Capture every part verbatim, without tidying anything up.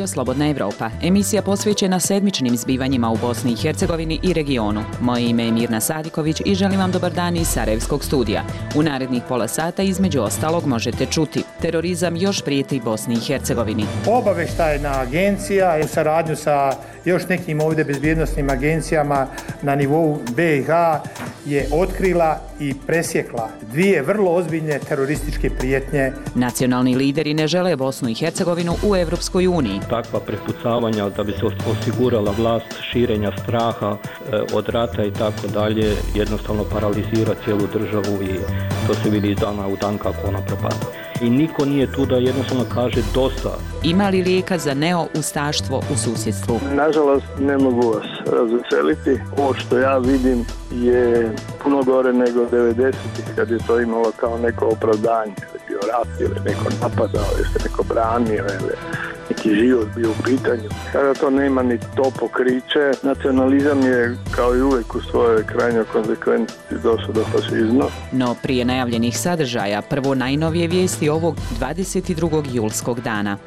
Radio Slobodna Evropa, emisija posvećena sedmičnim zbivanjima u Bosni i Hercegovini i regionu. Moje ime je Mirna Sadiković i želim vam dobar dan iz Sarajevskog studija. U narednih pola sata između ostalog možete čuti: terorizam još prijeti Bosni i Hercegovini. Obavještajna agencija je u saradnju sa još nekim ovdje bezbjednosnim agencijama na nivou B i H je otkrila i presjekla dvije vrlo ozbiljne terorističke prijetnje. Nacionalni lideri ne žele Bosnu i Hercegovinu u Evropskoj uniji. Takva prepucavanja da bi se osigurala vlast širenja straha e, od rata i tako dalje jednostavno paralizira cijelu državu i to se vidi iz dana u dan kako ona propada. I niko nije tu da jednostavno kaže dosta. Ima li lijeka za neo-ustaštvo u susjedstvu? Nažalost, ne mogu vas razveseliti. Ovo što ja vidim je puno gore nego devedesetih kad je to imalo kao neko opravdanje. Kad je bio rat ili neko napadao, ili se neko branio ili neki život bio u pitanju. Kada to nema ni to pokriće, nacionalizam je kao i uvijek u svojoj krajnjoj konsekvenci došao do fašizma. No prije najavljenih sadržaja, prvo najnovije vijesti ovog dvadeset drugog julskog dana.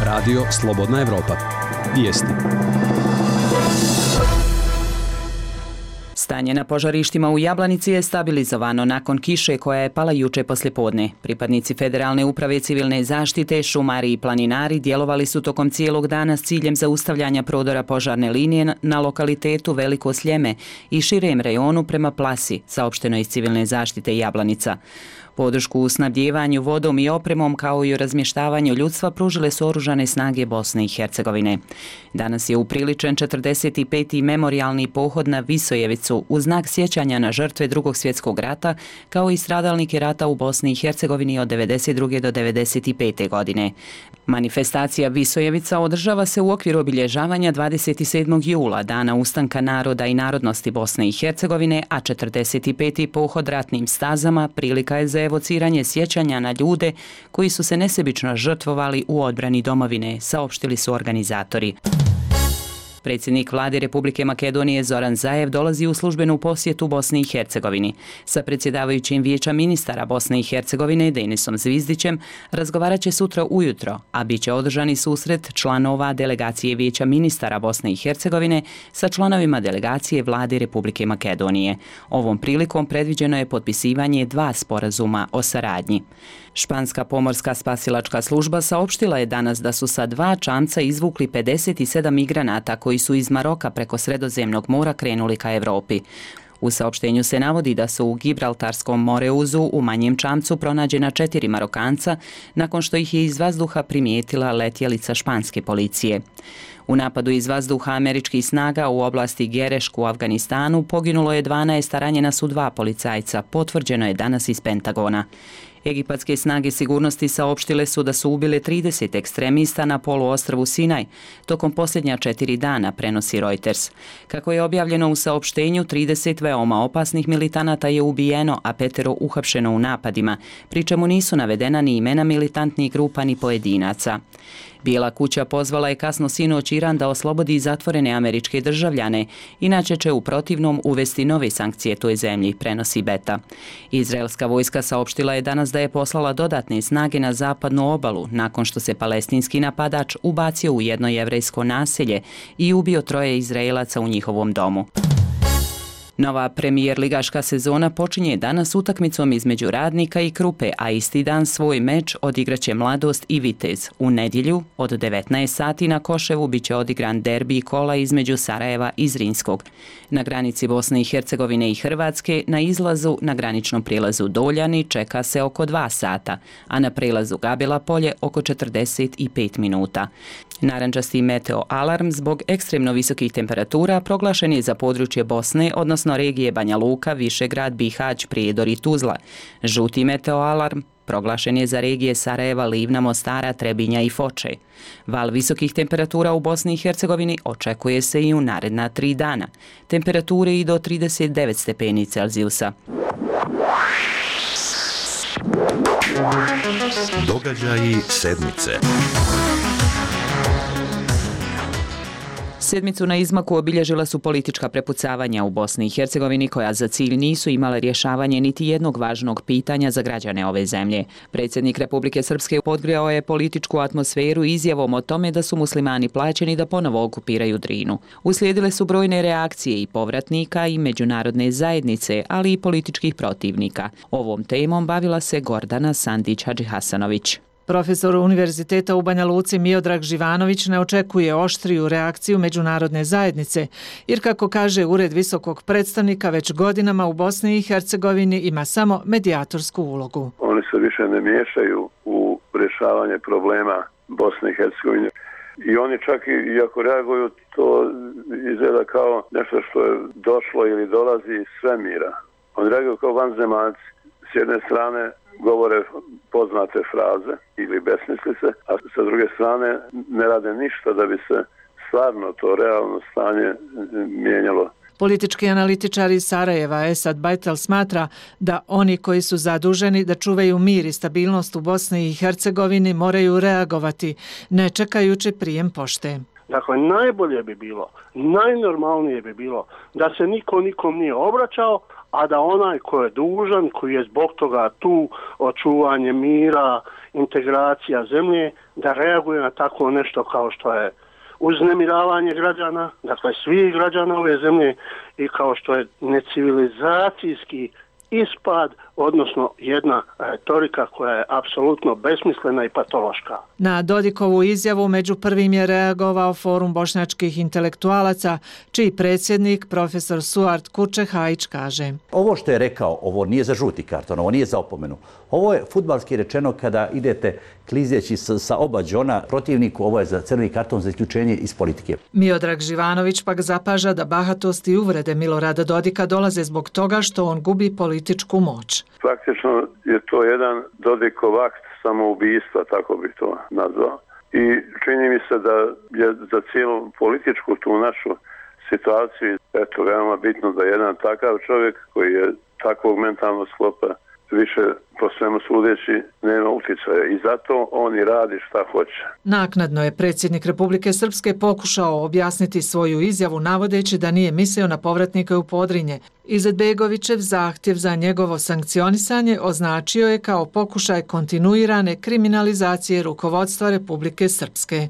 Radio Slobodna Evropa. Vijesti. Stanje na požarištima u Jablanici je stabilizovano nakon kiše koja je pala juče poslijepodne. Pripadnici Federalne uprave civilne zaštite, šumari i planinari djelovali su tokom cijelog dana s ciljem zaustavljanja prodora požarne linije na lokalitetu Veliko Sljeme i širem rejonu prema Plasi, saopšteno iz civilne zaštite Jablanica. Podršku u snabdjevanju vodom i opremom kao i u razmještavanju ljudstva pružile su oružane snage Bosne i Hercegovine. Danas je upriličen četrdeset peti memorijalni pohod na Visojevicu u znak sjećanja na žrtve Drugog svjetskog rata kao i stradalnike rata u Bosni i Hercegovini od devedeset druge do devedeset pete godine. Manifestacija Visojevica održava se u okviru obilježavanja dvadeset sedmog jula, dana ustanka naroda i narodnosti Bosne i Hercegovine, a četrdeset peti pohod ratnim stazama prilika je za evociranje sjećanja na ljude koji su se nesebično žrtvovali u odbrani domovine, saopštili su organizatori. Predsjednik vlade Republike Makedonije Zoran Zaev dolazi u službenu posjetu Bosni i Hercegovini. Sa predsjedavajućim vijeća ministara Bosne i Hercegovine Denisom Zvizdićem razgovarat će sutra ujutro, a bit će održani susret članova delegacije vijeća ministara Bosne i Hercegovine sa članovima delegacije vlade Republike Makedonije. Ovom prilikom predviđeno je potpisivanje dva sporazuma o saradnji. Španska pomorska spasilačka služba saopštila je danas da su sa dva čamca izvukli pedeset sedam migranata koji su iz Maroka preko Sredozemnog mora krenuli ka Evropi. U saopštenju se navodi da su u Gibraltarskom Moreuzu u manjem čamcu pronađena četiri Marokanca nakon što ih je iz vazduha primijetila letjelica španske policije. U napadu iz vazduha američkih snaga u oblasti Gerešk u Afganistanu poginulo je dvanaest, a ranjena su dva policajca, potvrđeno je danas iz Pentagona. Egipatske snage sigurnosti saopštile su da su ubile trideset ekstremista na poluostrvu Sinaj tokom posljednja četiri dana, prenosi Reuters. Kako je objavljeno u saopštenju, trideset veoma opasnih militanata je ubijeno, a petero uhapšeno u napadima, pri čemu nisu navedena ni imena militantnih grupa ni pojedinaca. Bijela kuća pozvala je kasno sinoć Iran da oslobodi zatvorene američke državljane, inače će u protivnom uvesti nove sankcije toj zemlji, prenosi Beta. Izraelska vojska saopštila je danas da je poslala dodatne snage na zapadnu obalu nakon što se palestinski napadač ubacio u jedno jevrejsko naselje i ubio troje Izraelaca u njihovom domu. Nova premijer ligaška sezona počinje danas utakmicom između Radnika i Krupe, a isti dan svoj meč odigraće Mladost i Vitez. U nedjelju od devetnaest sati na Koševu biće odigran derbi kola između Sarajeva i Zrinskog. Na granici Bosne i Hercegovine i Hrvatske na izlazu na graničnom prijelazu Doljani čeka se oko dva sata, a na prijelazu Gabela polje oko četrdeset pet minuta. Narandžasti meteo alarm zbog ekstremno visokih temperatura proglašen je za područje Bosne, odnosno regije Banja Luka, Višegrad, Bihać, Prijedor i Tuzla. Žuti meteo alarm proglašen je za regije Sarajeva, Livna, Mostara, Trebinja i Foče. Val visokih temperatura u Bosni i Hercegovini očekuje se i u naredna tri dana. Temperature i do trideset devet stepeni Celzijusa. Događaji sedmice. sedmicu na izmaku obilježila su politička prepucavanja u Bosni i Hercegovini koja za cilj nisu imale rješavanje niti jednog važnog pitanja za građane ove zemlje. Predsjednik Republike Srpske podgrijao je političku atmosferu izjavom o tome da su muslimani plaćeni da ponovo okupiraju Drinu. Uslijedile su brojne reakcije i povratnika i međunarodne zajednice, ali i političkih protivnika. Ovom temom bavila se Gordana Sandić-Hadžihasanović. Profesor Univerziteta u Banja Luci Miodrag Živanović ne očekuje oštriju reakciju međunarodne zajednice, jer kako kaže Ured visokog predstavnika već godinama u Bosni i Hercegovini ima samo medijatorsku ulogu. Oni se više ne miješaju u rješavanje problema Bosne i Hercegovine. I oni čak i ako reaguju, to izgleda kao nešto što je došlo ili dolazi iz svemira. Oni reaguju kao vanzemaljci. S jedne strane govore poznate fraze ili besmislice, a sa druge strane ne rade ništa da bi se stvarno to realno stanje mijenjalo. Politički analitičar iz Sarajeva Esad Bajtel smatra da oni koji su zaduženi da čuvaju mir i stabilnost u Bosni i Hercegovini moraju reagovati, ne čekajući prijem pošte. Dakle, najbolje bi bilo, najnormalnije bi bilo da se niko nikom nije obraćao, a da onaj ko je dužan, koji je zbog toga tu, očuvanje mira, integracija zemlje, da reaguje na tako nešto kao što je uznemiravanje građana, dakle svih građana ove zemlje, i kao što je necivilizacijski ispad, odnosno jedna retorika koja je apsolutno besmislena i patološka. Na Dodikovu izjavu među prvim je reagovao Forum bošnjačkih intelektualaca, čiji predsjednik profesor Suart Kurčehajić kaže: Ovo što je rekao, ovo nije za žuti karton, ovo nije za opomenu. Ovo je fudbalski rečeno kada idete klizeći sa oba džona protivniku, ovo je za crveni karton, za isključenje iz politike. Miodrag Živanović pak zapaža da bahatost i uvrede Milorada Dodika dolaze zbog toga što on gubi političku moć. Praktično je to jedan Dodikov akt samoubistva, tako bih to nazvao. I čini mi se da je za cijelu političku tu našu situaciju eto veoma bitno da jedan takav čovjek koji je takvog mentalnog sklopa više po svemu sudeći nema utjecaja i zato on i radi šta hoće. Naknadno je predsjednik Republike Srpske pokušao objasniti svoju izjavu navodeći da nije mislio na povratnike u Podrinje. Izetbegovićev zahtjev za njegovo sankcionisanje označio je kao pokušaj kontinuirane kriminalizacije rukovodstva Republike Srpske.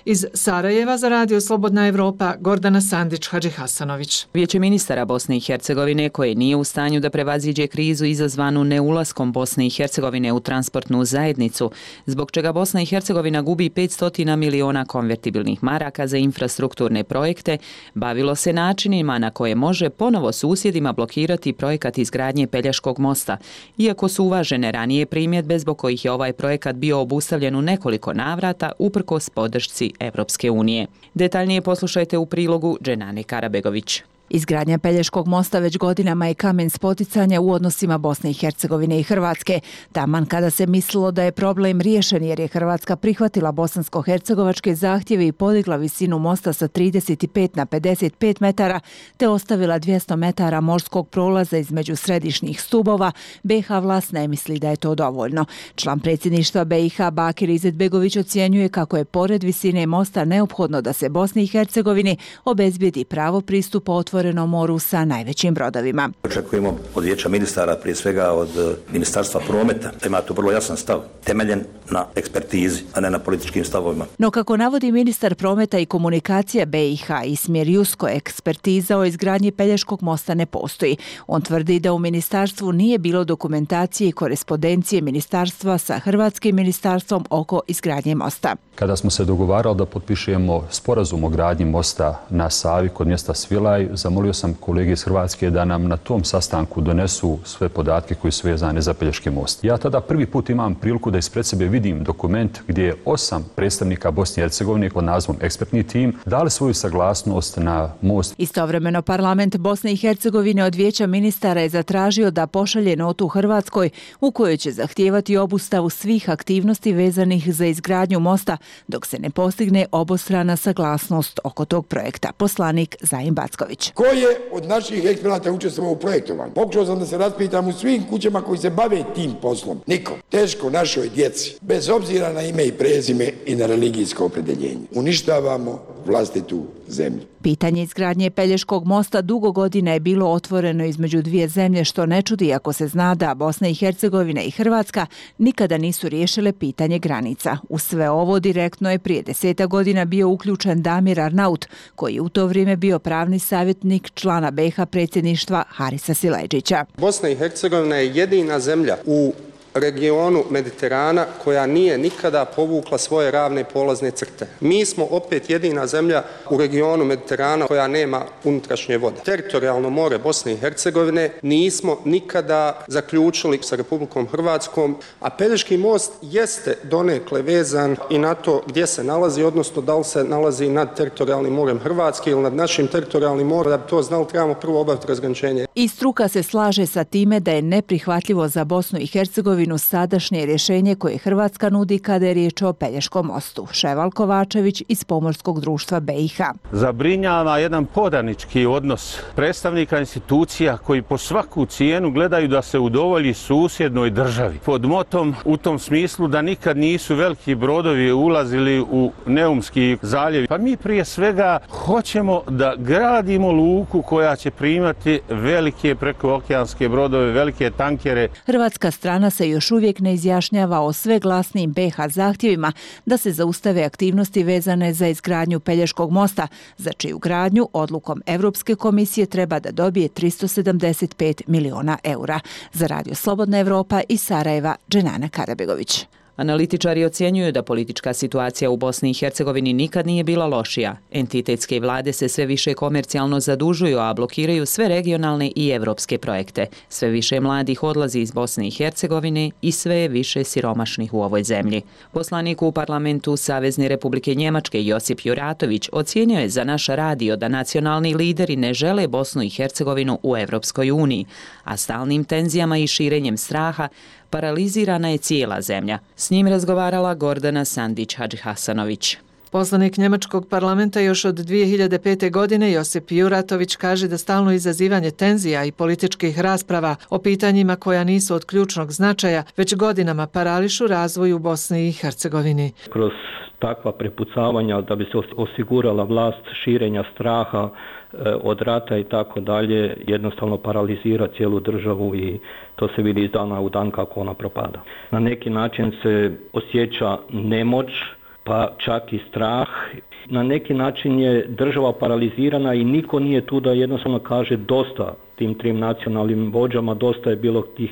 Iz Sarajeva za Radio Slobodna Evropa, Gordana Sandić-Hadžihasanović. Vijeće ministara Bosne i Hercegovine, koje nije u stanju da prevaziđe krizu izazvanu neulaskom Bosne i Hercegovine u transportnu zajednicu, zbog čega Bosna i Hercegovina gubi petsto miliona konvertibilnih maraka za infrastrukturne projekte, bavilo se načinima na koje može ponovo susjedi blokirati projekat izgradnje Pelješkog mosta, iako su uvažene ranije primjedbe zbog kojih je ovaj projekat bio obustavljen u nekoliko navrata uprkos podršci Evropske unije. Detaljnije poslušajte u prilogu Dženane Karabegović. Izgradnja Pelješkog mosta već godinama je kamen spoticanja u odnosima Bosne i Hercegovine i Hrvatske. Taman kada se mislilo da je problem riješen jer je Hrvatska prihvatila bosansko-hercegovačke zahtjeve i podigla visinu mosta sa trideset pet na pedeset pet metara te ostavila dvjesto metara morskog prolaza između središnjih stubova, B i H vlast ne misli da je to dovoljno. Član predsjedništva B i H Bakir Izetbegović ocjenjuje kako je pored visine mosta neophodno da se Bosni i Hercegovini obezbijedi pravo pristupa otvorenom moru sa najvećim brodovima. Očekujemo od vijeća ministara, prije svega od Ministarstva prometa, da ima tu vrlo jasan stav, temeljen na ekspertizi, a ne na političkim stavovima. No kako navodi ministar prometa i komunikacija B i H Ismir Jusko, ekspertiza o izgradnji Pelješkog mosta ne postoji. On tvrdi da u ministarstvu nije bilo dokumentacije i korespondencije ministarstva sa hrvatskim ministarstvom oko izgradnje mosta. Kada smo se dogovarali da potpišemo sporazum o gradnji mosta na Savi kod mjesta Svilaj, zamolio sam kolege iz Hrvatske da nam na tom sastanku donesu sve podatke koji su vezane za Pelješki most. Ja tada prvi put imam priliku da ispred sebe vidim dokument gdje je osam predstavnika Bosne i Hercegovine pod nazivom ekspertni tim dali svoju saglasnost na most. Istovremeno parlament Bosne i Hercegovine od vijeća ministara je zatražio da pošalje notu Hrvatskoj u kojoj će zahtijevati obustavu svih aktivnosti vezanih za izgradnju mosta dok se ne postigne obostrana saglasnost oko tog projekta. Poslanik Zajin Backović. Ko je od naših eksperata učestvovao u projektovanju? Pokušao sam da se raspitam u svim kućama koji se bave tim poslom. Niko. Teško našoj djeci, bez obzira na ime i prezime i na religijsko opredjeljenje. Uništavamo vlastitu zemlju. Pitanje izgradnje Pelješkog mosta dugo godina je bilo otvoreno između dvije zemlje, što ne čudi ako se zna da Bosna i Hercegovina i Hrvatska nikada nisu riješile pitanje granica. U sve ovo direktno je prije deseta godina bio uključen Damir Arnaut, koji je u to vrijeme bio pravni savjetnik člana B i H predsjedništva Harisa Silajdžića. Bosna i Hercegovina je jedina zemlja u regionu Mediterana koja nije nikada povukla svoje ravne polazne crte. Mi smo opet jedina zemlja u regionu Mediterana koja nema unutrašnje vode. Teritorijalno more Bosne i Hercegovine nismo nikada zaključili sa Republikom Hrvatskom, a Pelješki most jeste donekle vezan i na to gdje se nalazi, odnosno da li se nalazi nad teritorijalnim morem Hrvatske ili nad našim teritorijalnim morem. Da bi to znali, trebamo prvo obaviti razgraničenje. I struka se slaže sa time da je neprihvatljivo za Bosnu i Hercegovinu sadašnje rješenje koje Hrvatska nudi kada je riječ o Pelješkom mostu. Ševal Kovačević iz Pomorskog društva B i H. Zabrinjava jedan podanički odnos predstavnika institucija koji po svaku cijenu gledaju da se udovolji susjednoj državi. Pod motom u tom smislu da nikad nisu veliki brodovi ulazili u Neumski zaljev. Pa mi prije svega hoćemo da gradimo luku koja će primati velike prekookeanske brodove, velike tankere. Hrvatska strana se još uvijek ne izjašnjava o sve glasnijim B i H zahtjevima da se zaustave aktivnosti vezane za izgradnju Pelješkog mosta, za čiju gradnju odlukom Europske komisije treba da dobije tristo sedamdeset pet miliona eura. Za Radio Slobodna Evropa iz Sarajeva, Dženana Karabegović. Analitičari ocjenjuju da politička situacija u Bosni i Hercegovini nikad nije bila lošija. Entitetske vlade se sve više komercijalno zadužuju, a blokiraju sve regionalne i evropske projekte. Sve više mladih odlazi iz Bosne i Hercegovine i sve je više siromašnih u ovoj zemlji. Poslanik u parlamentu Savezne Republike Njemačke Josip Juratović ocijenio je za naš radio da nacionalni lideri ne žele Bosnu i Hercegovinu u Evropskoj uniji, a stalnim tenzijama i širenjem straha paralizirana je cijela zemlja. S njim razgovarala Gordana Sandić-Hadžihasanović. Poslanik Njemačkog parlamenta još od dvije hiljade pete. godine Josip Juratović kaže da stalno izazivanje tenzija i političkih rasprava o pitanjima koja nisu od ključnog značaja već godinama parališu razvoj u Bosni i Hercegovini. Kroz takva prepucavanja da bi se osigurala vlast širenja straha od rata i tako dalje, jednostavno paralizira cijelu državu i to se vidi iz dana u dan kako ona propada. Na neki način se osjeća nemoć, pa čak i strah. Na neki način je država paralizirana i niko nije tu da jednostavno kaže dosta tim trim nacionalnim vođama, dosta je bilo tih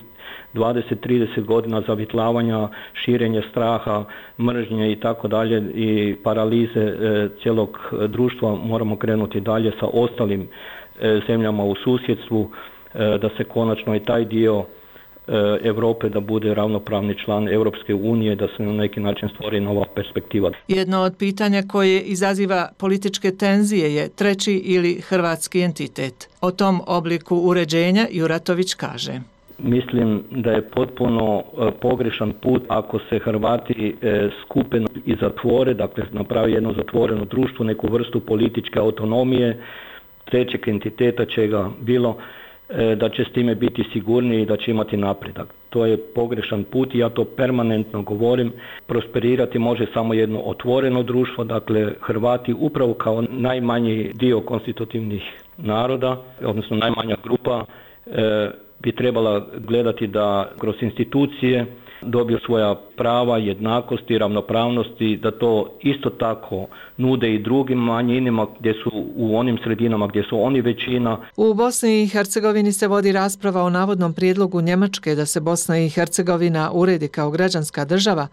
dvadeset trideset godina zavitlavanja, širenje straha, mržnje i tako dalje i paralize e, cijelog društva. Moramo krenuti dalje sa ostalim e, zemljama u susjedstvu, e, da se konačno i taj dio Europe da bude ravnopravni član Europske unije, da se na neki način stvori nova perspektiva. Jedno od pitanja koje izaziva političke tenzije je treći ili hrvatski entitet. O tom obliku uređenja Juratović kaže: Mislim da je potpuno pogrešan put ako se Hrvati skupe i zatvore, dakle napravi jedno zatvoreno društvo, neku vrstu političke autonomije, trećeg entiteta čega bilo, da će s time biti sigurniji i da će imati napredak. To je pogrešan put i ja to permanentno govorim. Prosperirati može samo jedno otvoreno društvo, dakle Hrvati upravo kao najmanji dio konstitutivnih naroda, odnosno najmanja grupa, bi trebala gledati da kroz institucije dobiju svoja prava, jednakosti, ravnopravnosti, da to isto tako nude i drugim manjinama gdje su u onim sredinama gdje su oni većina. U Bosni i Hercegovini se vodi rasprava o navodnom prijedlogu Njemačke da se Bosna i Hercegovina uredi kao građanska država,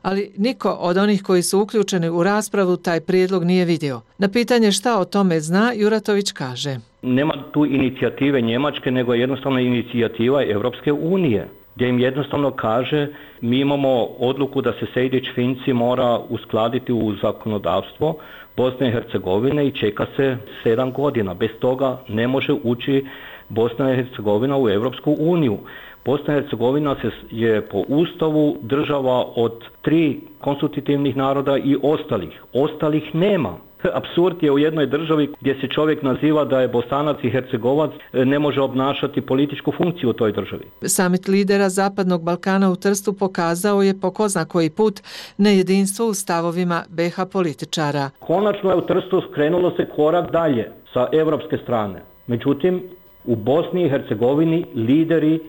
ali niko od onih koji su uključeni u raspravu taj prijedlog nije vidio. Na pitanje šta o tome zna, Juratović kaže: Nema tu inicijative Njemačke, nego je jednostavno inicijativa Europske unije, gdje im jednostavno kaže mi imamo odluku da se Sejdić-Finci mora uskladiti u zakonodavstvo Bosne i Hercegovine i čeka se sedam godina. Bez toga ne može ući Bosna i Hercegovina u Europsku uniju. Bosna i Hercegovina je po ustavu država od tri konstitutivnih naroda i ostalih. Ostalih nema. Apsurd je u jednoj državi gdje se čovjek naziva da je Bosanac i Hercegovac, ne može obnašati političku funkciju u toj državi. Samit lidera Zapadnog Balkana u Trstu pokazao je po ko zna koji put nejedinstvo u stavovima be ha političara. Konačno je u Trstu krenulo se korak dalje sa evropske strane. Međutim, u Bosni i Hercegovini lideri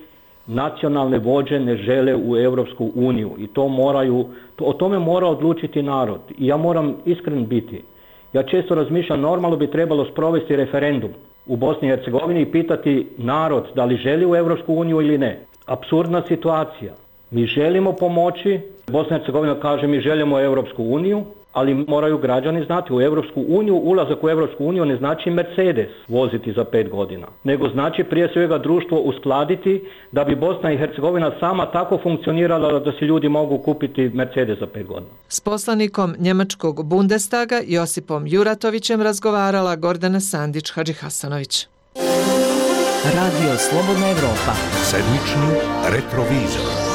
nacionalne vođe ne žele u Europsku uniju i to moraju, o tome mora odlučiti narod. I ja moram iskren biti. Ja često razmišljam, normalno bi trebalo sprovesti referendum u Bosni i Hercegovini i pitati narod da li želi u Europsku uniju ili ne. Apsurdna situacija. Mi želimo pomoći, Bosna i Hercegovina kaže mi želimo Europsku uniju, ali moraju građani znati u Europsku uniju, ulazak u Europsku uniju ne znači Mercedes voziti za pet godina, nego znači prije svega društvo uskladiti da bi Bosna i Hercegovina sama tako funkcionirala da se ljudi mogu kupiti Mercedes za pet godina. S poslanikom njemačkog Bundestaga Josipom Juratovićem razgovarala Gordana Sandić-Hadžihasanović. Radio Slobodna Evropa. Sedmični retrovizor.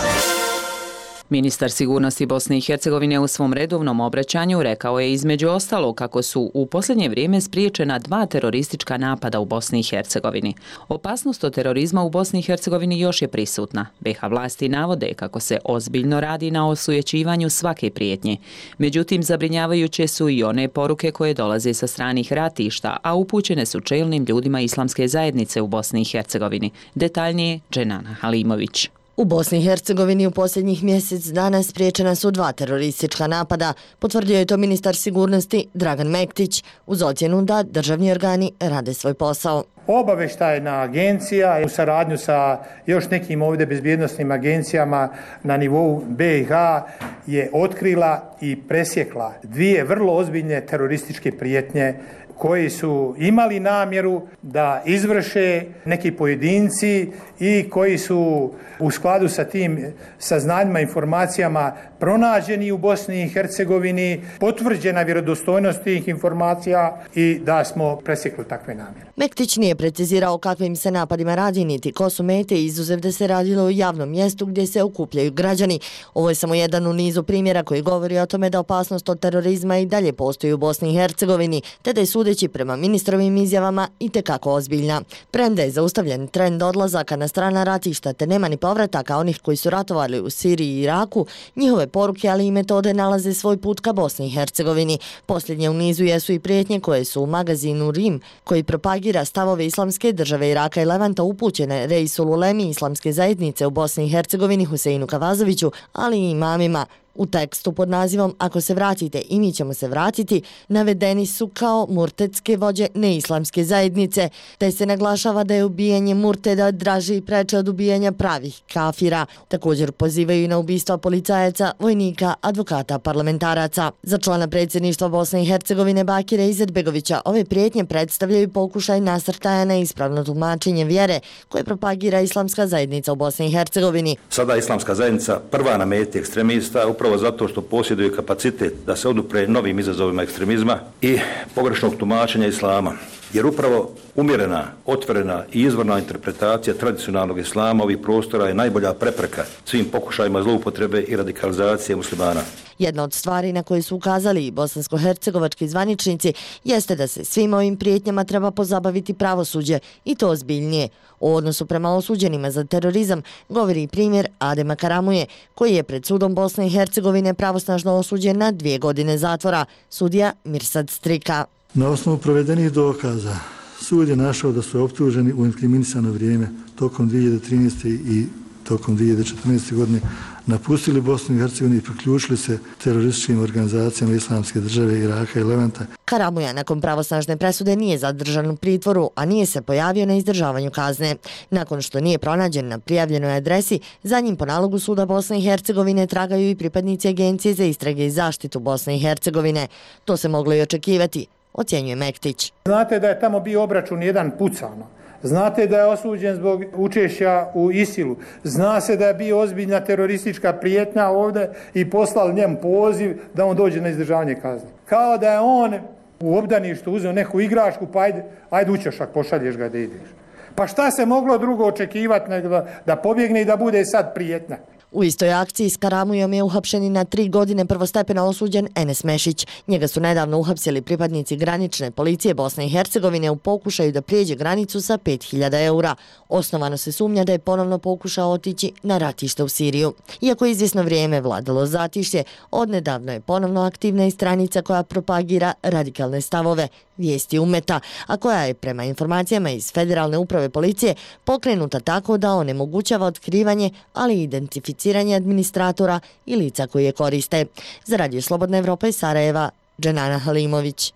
Ministar sigurnosti Bosne i Hercegovine u svom redovnom obraćanju rekao je između ostalo kako su u posljednje vrijeme spriječena dva teroristička napada u Bosni i Hercegovini. Opasnost od terorizma u Bosni i Hercegovini još je prisutna. be ha vlasti navode kako se ozbiljno radi na osujećivanju svake prijetnje. Međutim, zabrinjavajuće su i one poruke koje dolaze sa stranih ratišta, a upućene su čelnim ljudima islamske zajednice u Bosni i Hercegovini. Detaljnije Dženana Halimović. U Bosni i Hercegovini u posljednjih mjesec dana spriječena su dva teroristička napada, potvrdio je to ministar sigurnosti Dragan Mektić uz ocjenu da državni organi rade svoj posao. Obavještajna agencija u saradnju sa još nekim ovdje bezbjednosnim agencijama na nivou be i ha je otkrila i presjekla dvije vrlo ozbiljne terorističke prijetnje koji su imali namjeru da izvrše neki pojedinci i koji su u skladu sa tim saznanjima, informacijama pronađeni u Bosni i Hercegovini, potvrđena vjerodostojnost tih informacija i da smo presjekli takve namjere. Mektić nije precizirao kakvim se napadima radi niti ko su mete, izuzev da se radilo u javnom mjestu gdje se okupljaju građani. Ovo je samo jedan u nizu primjera koji govori o tome da opasnost od terorizma i dalje postoji u Bosni i Hercegovini, te da je sudeći prema ministrovim izjavama itekako ozbiljna. Premda je zaustavljen trend odlazaka na strana ratišta te nema ni povrataka onih koji su ratovali u Siriji i Iraku, njihove poruke ali i metode nalaze svoj put ka Bosni i Hercegovini. Posljednje u nizu jesu i prijetnje koje su u magazinu Rim, koji propagira stavove islamske države Iraka i Levanta upućene Reisul Ulemi islamske zajednice u Bosni i Hercegovini Huseinu Kavazoviću, ali i imamima. U tekstu pod nazivom Ako se vratite i mi ćemo se vratiti navedeni su kao murtetske vođe neislamske zajednice, te se naglašava da je ubijanje murteda draže i preče od ubijanja pravih kafira. Također pozivaju i na ubistva policajaca, vojnika, advokata, parlamentaraca. Za člana predsjedništva Bosne i Hercegovine Bakira Izetbegovića ove prijetnje predstavljaju pokušaj nasrtaja na ispravno tumačenje vjere koje propagira islamska zajednica u Bosni i Hercegovini. Sada islamska zajednica prva na meti ekstremista upravo zato što posjeduje kapacitet da se odupre novim izazovima ekstremizma i pogrešnog tumačenja islama. Jer upravo umjerena, otvorena i izvorna interpretacija tradicionalnog islama ovih prostora je najbolja prepreka svim pokušajima zloupotrebe i radikalizacije muslimana. Jedna od stvari na koje su ukazali i bosansko-hercegovački zvaničnici jeste da se svim ovim prijetnjama treba pozabaviti pravosuđe i to ozbiljnije. O odnosu prema osuđenima za terorizam govori primjer Adema Karamuje, koji je pred sudom Bosne i Hercegovine pravosnažno osuđen na dvije godine zatvora, sudija Mirsad Strika. Na osnovu provedenih dokaza sud je našao da su optuženi u inkriminisano vrijeme tokom dvije hiljade trinaeste. i tokom dvije hiljade četrnaeste. godine napustili Bosnu i Hercegovinu i priključili se terorističkim organizacijama islamske države Iraka i Levanta. Karamuja nakon pravosnažne presude nije zadržan u pritvoru, a nije se pojavio na izdržavanju kazne. Nakon što nije pronađen na prijavljenoj adresi, za njim po nalogu suda Bosne i Hercegovine tragaju i pripadnici Agencije za istrage i zaštitu Bosne i Hercegovine. To se moglo i očekivati, ocjenjuje Mektić. Znate da je tamo bio obračun jedan pucano. Znate da je osuđen zbog učešća u Isilu. Zna se da je bio ozbiljna teroristička prijetnja ovdje i poslali njemu poziv da on dođe na izdržavanje kazne. Kao da je on u obdaništu uzeo neku igračku, pa ajde, ajde u ćošak, pošalješ ga da ideš. Pa šta se moglo drugo očekivati nego da, da pobjegne i da bude sad prijetnja? U istoj akciji s Karamujom je uhapšen i na tri godine prvostepeno osuđen Enes Mešić. Njega su nedavno uhapsili pripadnici granične policije Bosne i Hercegovine u pokušaju da prijeđe granicu sa pet hiljada eura. Osnovano se sumnja da je ponovno pokušao otići na ratište u Siriju. Iako izvjesno vrijeme vladalo zatišje, odnedavno je ponovno aktivna i stranica koja propagira radikalne stavove, Vijesti Umeta, a koja je prema informacijama iz Federalne uprave policije pokrenuta tako da onemogućava otkrivanje, ali i identificiranje administratora i lica koji je koriste. Za Radio Slobodna Evropa iz Sarajeva, Dženana Halimović.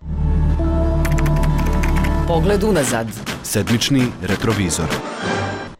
Pogled unazad. Sedmični retrovizor.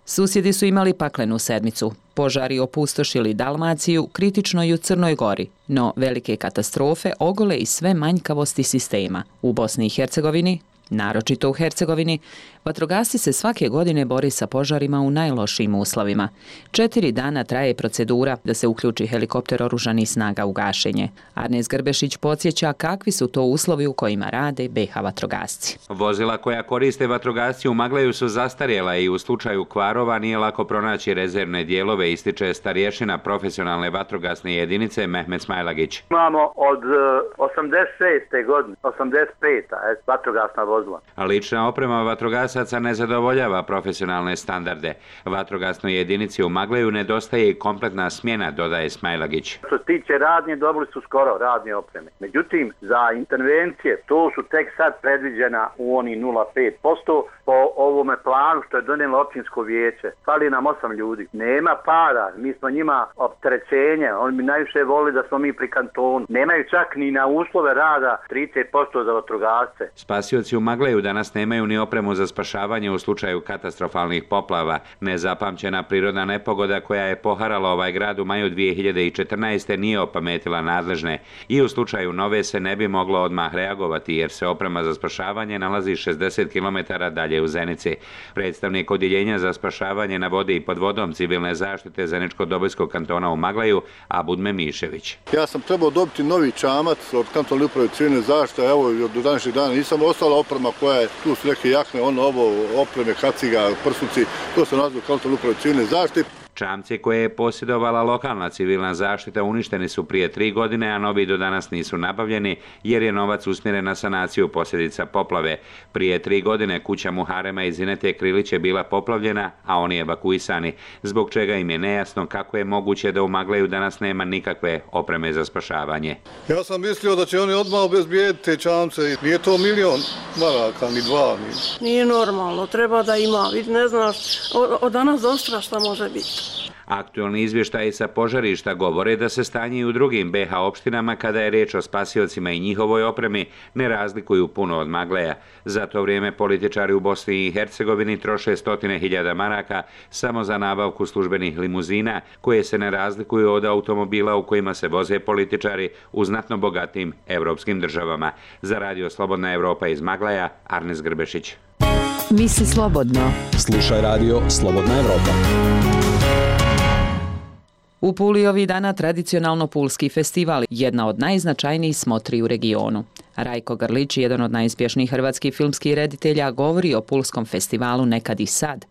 Susjedi su imali paklenu sedmicu. Požari opustošili Dalmaciju, kritično i u Crnoj Gori, no velike katastrofe ogole i sve manjkavosti sistema. U Bosni i Hercegovini, naročito u Hercegovini, vatrogasci se svake godine bori sa požarima u najlošijim uslovima. Četiri dana traje procedura da se uključi helikopter oružanih snaga u gašenje. Arnes Grbešić podsjeća kakvi su to uslovi u kojima rade be ha vatrogasci. Vozila koja koriste vatrogasci u Magleju su zastarjela i u slučaju kvarova nije lako pronaći rezervne dijelove, ističe starješina profesionalne vatrogasne jedinice Mehmet Smajlagić. Imamo od osamdeset šeste godine, osamdeset pete vatrogasna vozila. Lična oprema vatrogasaca ne zadovoljava profesionalne standarde. Vatrogasnoj jedinici u Magleju nedostaje i kompletna smjena, dodaje Smajlagić. Što se tiče radnje, dobili su skoro radnje opreme. Međutim, za intervencije, to su tek sad predviđena u oni nula zarez pet posto po ovome planu što je donijelo općinsko vijeće. Fali nam osam ljudi. Nema para, mi smo njima opterećenje, oni bi najviše voli da smo mi pri kantonu. Nemaju čak ni na uslove rada trideset posto za vatrogasce. Spasioci u Magleju danas nemaju ni opremu za spašavanje u slučaju katastrofalnih poplava. Nezapamćena prirodna nepogoda koja je poharala ovaj grad u maju dvije hiljade četrnaeste. nije opametila nadležne i u slučaju nove se ne bi moglo odmah reagovati jer se oprema za spašavanje nalazi šezdeset kilometara dalje u Zenici. Predstavnik odjeljenja za spašavanje na vodi i pod vodom civilne zaštite Zeničko-Dobojskog kantona u Magleju, Abudme Mišević. Ja sam trebao dobiti novi čamac od kantonalne uprave civilne zaštite, evo do današnjeg dana nisam, ostala oprema koja je, tu su neke jakne, ono ovo, opreme, kaciga, prsuci, to se nazva kantonalne uprave civilne zaštite. Čamci koje je posjedovala lokalna civilna zaštita uništeni su prije tri godine, a novi do danas nisu nabavljeni jer je novac usmjeren na sanaciju posljedica poplave. Prije tri godine kuća Muharema iz Zinete Krilić je bila poplavljena, a oni evakuisani, zbog čega im je nejasno kako je moguće da u Magleju danas nema nikakve opreme za spašavanje. Ja sam mislio da će oni odmah obezbijediti te čamce. Nije to milion maraka, ni dva. Ni. Nije normalno, treba da ima. Vid, ne znaš, od danas do sutra šta može biti. Aktualni izvještaji sa požarišta govore da se stanje i u drugim be ha opštinama kada je riječ o spasiocima i njihovoj opremi ne razlikuju puno od Magleja. Za to vrijeme političari u Bosni i Hercegovini troše stotine hiljada maraka samo za nabavku službenih limuzina koje se ne razlikuju od automobila u kojima se voze političari u znatno bogatim evropskim državama. Za Radio Slobodna Evropa iz Magleja, Arnes Grbešić. Misli slobodno. Slušaj Radio Slobodna Evropa. U Puli ovih dana tradicionalno Pulski festival, jedna od najznačajnijih smotri u regionu. Rajko Grlić, jedan od najuspješnijih hrvatskih filmskih reditelja, govori o Pulskom festivalu Nekad i sad,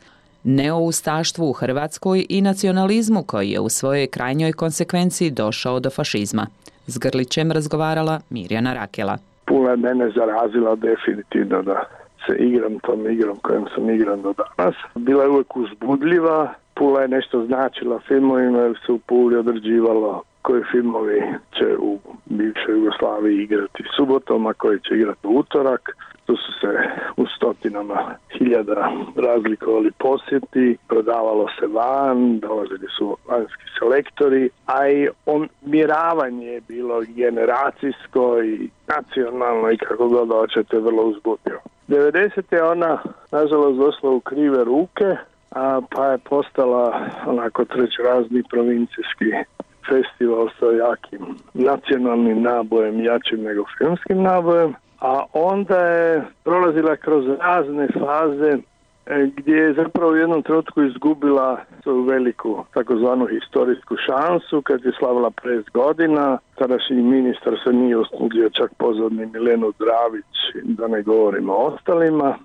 neoustaštvu u Hrvatskoj i nacionalizmu koji je u svojoj krajnjoj konsekvenciji došao do fašizma. S Grlićem razgovarala Mirjana Rakela. Pula je mene zarazila definitivno da se igram tom igrom kojom sam igran do danas. Bila je uvijek uzbudljiva. Pula je nešto značila filmovima jer se u Puli određivalo koji filmovi će u bivšoj Jugoslaviji igrati subotom, a koji će igrati u utorak. Tu su se u stotinama hiljada razlikovali posjeti, prodavalo se van, dolazili su vanjski selektori, a i odmjeravanje je bilo generacijsko i nacionalno i kako god hoćete vrlo uzbudljivo. devedesete je ona nažalost došla u krive ruke, a pa je postala onako trećerazni provincijski festival sa jakim nacionalnim nabojem, jačim nego filmskim nabojem, a onda je prolazila kroz razne faze gdje je zapravo u jednom trenutku izgubila svoju veliku takozvanu historijsku šansu kad je slavila pedeset godina. Tadašnji ministar se nije usudio čak pozvati ni Milenu Dravić, da ne govorimo o ostalima,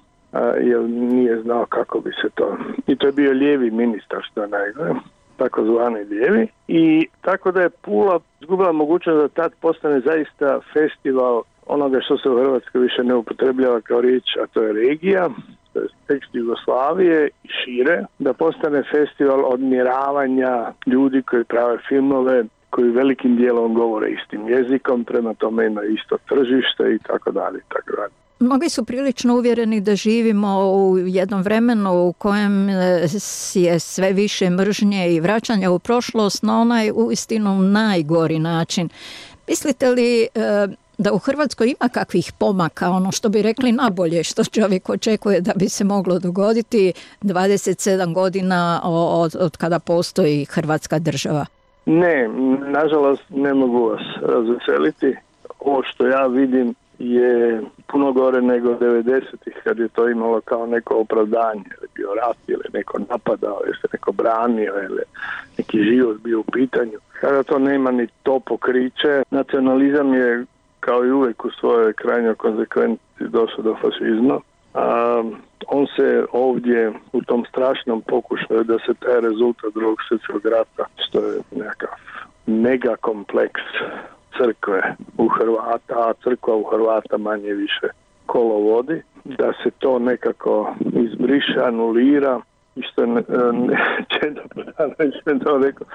jer nije znao kako bi se to... I to je bio lijevi ministar, što je najgore. takozvani lijevi, i tako da je Pula izgubila mogućnost da tad postane zaista festival onoga što se u Hrvatskoj više ne upotrebljava kao riječ, a to je regija, to je tekst Jugoslavije i šire, da postane festival odmjeravanja ljudi koji prave filmove, koji velikim dijelom govore istim jezikom, prema tome imaju isto tržište i tako dalje i tako dalje. Mnogi su prilično uvjereni da živimo u jednom vremenu u kojem je sve više mržnje i vraćanja u prošlost na onaj uistinu najgori način. Mislite li da u Hrvatskoj ima kakvih pomaka, ono što bi rekli nabolje, što čovjek očekuje da bi se moglo dogoditi dvadeset sedam godina od, od kada postoji Hrvatska država? Ne, nažalost ne mogu vas razveseliti. Ovo što ja vidim je puno gore nego devedesetih, kad je to imalo kao neko opravdanje, ili bio rat, ili neko napadao, ili se neko branio, ili neki život bio u pitanju. Kada to nema ni to pokriće, nacionalizam je kao i uvijek u svojoj krajnjoj konsekvenciji došao do fašizma. A, on se ovdje u tom strašnom pokušaju da se taj rezultat drugog svjetskog rata, što je nekakav mega kompleks crkve u Hrvata, a crkva u Hrvata manje više kolo vodi, da se to nekako izbriše, anulira, i što ne, ne Čeda Podanović je to rekao,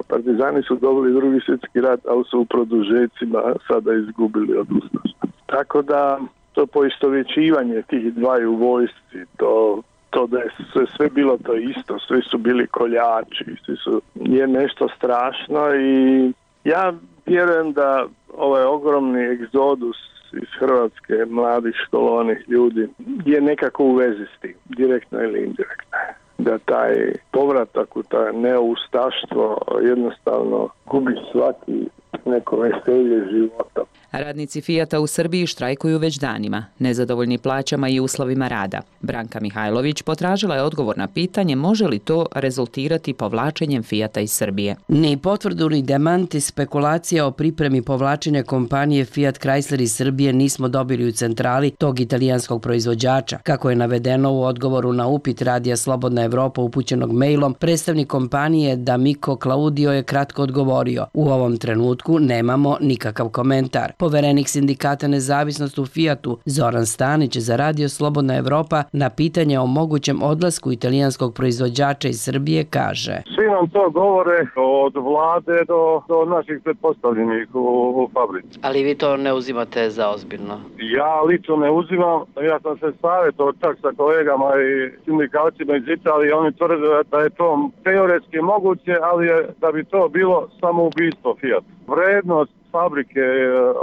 partizani su dobili drugi svjetski rat, ali su u produžecima sada izgubili od ustaša. Tako da to poistovjećivanje tih dvaju vojsci, to, to da je sve, sve bilo to isto, svi su bili koljači, svi su, je nešto strašno, i ja vjerujem da ovaj ogromni egzodus iz Hrvatske, mladih školovanih ljudi, je nekako u vezi s tim, direktno ili indirektno. Da taj povratak u taj neoustaštvo jednostavno gubi svaki neko veselje života. Radnici Fijata u Srbiji štrajkuju već danima, nezadovoljni plaćama i uslovima rada. Branka Mihajlović potražila je odgovor na pitanje može li to rezultirati povlačenjem Fijata iz Srbije. Ni potvrdu ni demanti spekulacija o pripremi povlačenja kompanije Fiat Chrysler iz Srbije nismo dobili u centrali tog italijanskog proizvođača. Kako je navedeno u odgovoru na upit Radija Slobodna Evropa upućenog mailom, predstavnik kompanije D'Amico Claudio je kratko odgovorio: u ovom trenutku nemamo nikakav komentar. Poverenik sindikata Nezavisnost u Fijatu Zoran Stanić za Radio Slobodna Evropa na pitanje o mogućem odlasku italijanskog proizvođača iz Srbije kaže: svi nam to govore od vlade do, do naših pretpostavljenih u, u fabrici. Ali vi to ne uzimate za ozbiljno? Ja lično ne uzimam, ja sam se savjetovao čak sa kolegama i sindikalcima iz Italije, oni tvrde da je to teoretski moguće, ali je, da bi to bilo samoubistvo Fijat. Vrednost fabrike,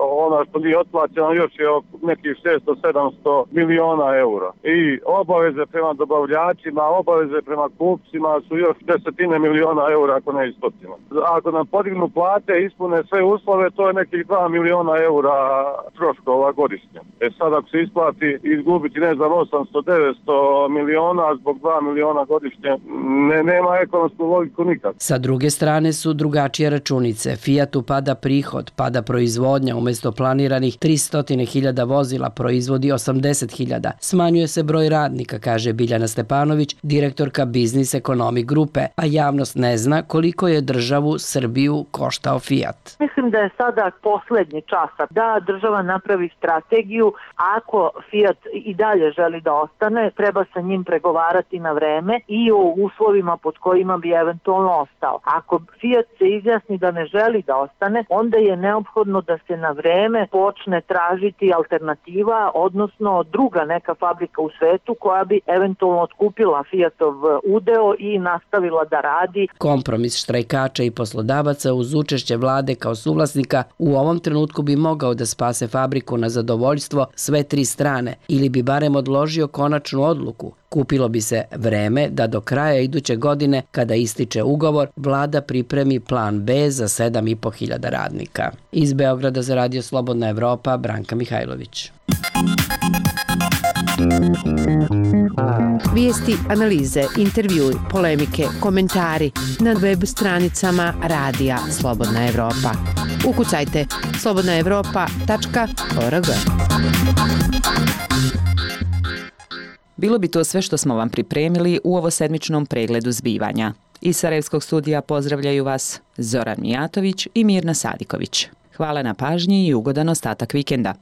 ona što nije otplaćena, još je nekih šesto do sedamsto miliona eura. I obaveze prema dobavljačima, obaveze prema kupcima su još desetine miliona eura, ako ne i stotina. Ako nam podignu plate, ispune sve uslove, to je nekih dva miliona eura troškova godišnje. E sad ako se isplati izgubiti, ne znam, osamsto do devetsto miliona zbog dva miliona godišnje, ne, nema ekonomsku logiku nikad. Sa druge strane su drugačije računice. Fijatu pada prihod, pada proizvodnja, umjesto planiranih tristo hiljada vozila proizvodi osamdeset hiljada. Smanjuje se broj radnika, kaže Biljana Stepanović, direktorka Biznis Ekonomi grupe, a javnost ne zna koliko je državu Srbiju koštao Fijat. Mislim da je sada posljednji čas da država napravi strategiju. Ako Fijat i dalje želi da ostane, treba sa njim pregovarati na vreme i o uslovima pod kojima bi eventualno ostao. Ako Fijat se izjasni da ne želi da ostane, onda je neophodno da se na vreme počne tražiti alternativa, odnosno druga neka fabrika u svetu koja bi eventualno otkupila Fijatov udeo i nastavila da radi. Kompromis štrajkača i poslodavaca uz učešće vlade kao suvlasnika u ovom trenutku bi mogao da spase fabriku na zadovoljstvo sve tri strane ili bi barem odložio konačnu odluku. Kupilo bi se vreme da do kraja iduće godine, kada ističe ugovor, vlada pripremi plan B za sedam i po hiljada radnika. Iz Beograda za Radio Slobodna Evropa, Branka Mihajlović. Vijesti, analize, intervjui, polemike, komentari na web stranicama Radija Slobodna Evropa. Ukucajte slobodna evropa tačka org. Bilo bi to sve što smo vam pripremili u ovo sedmičnom pregledu zbivanja. Iz Sarajevskog studija pozdravljaju vas Zoran Mijatović i Mirna Sadiković. Hvala na pažnji i ugodan ostatak vikenda.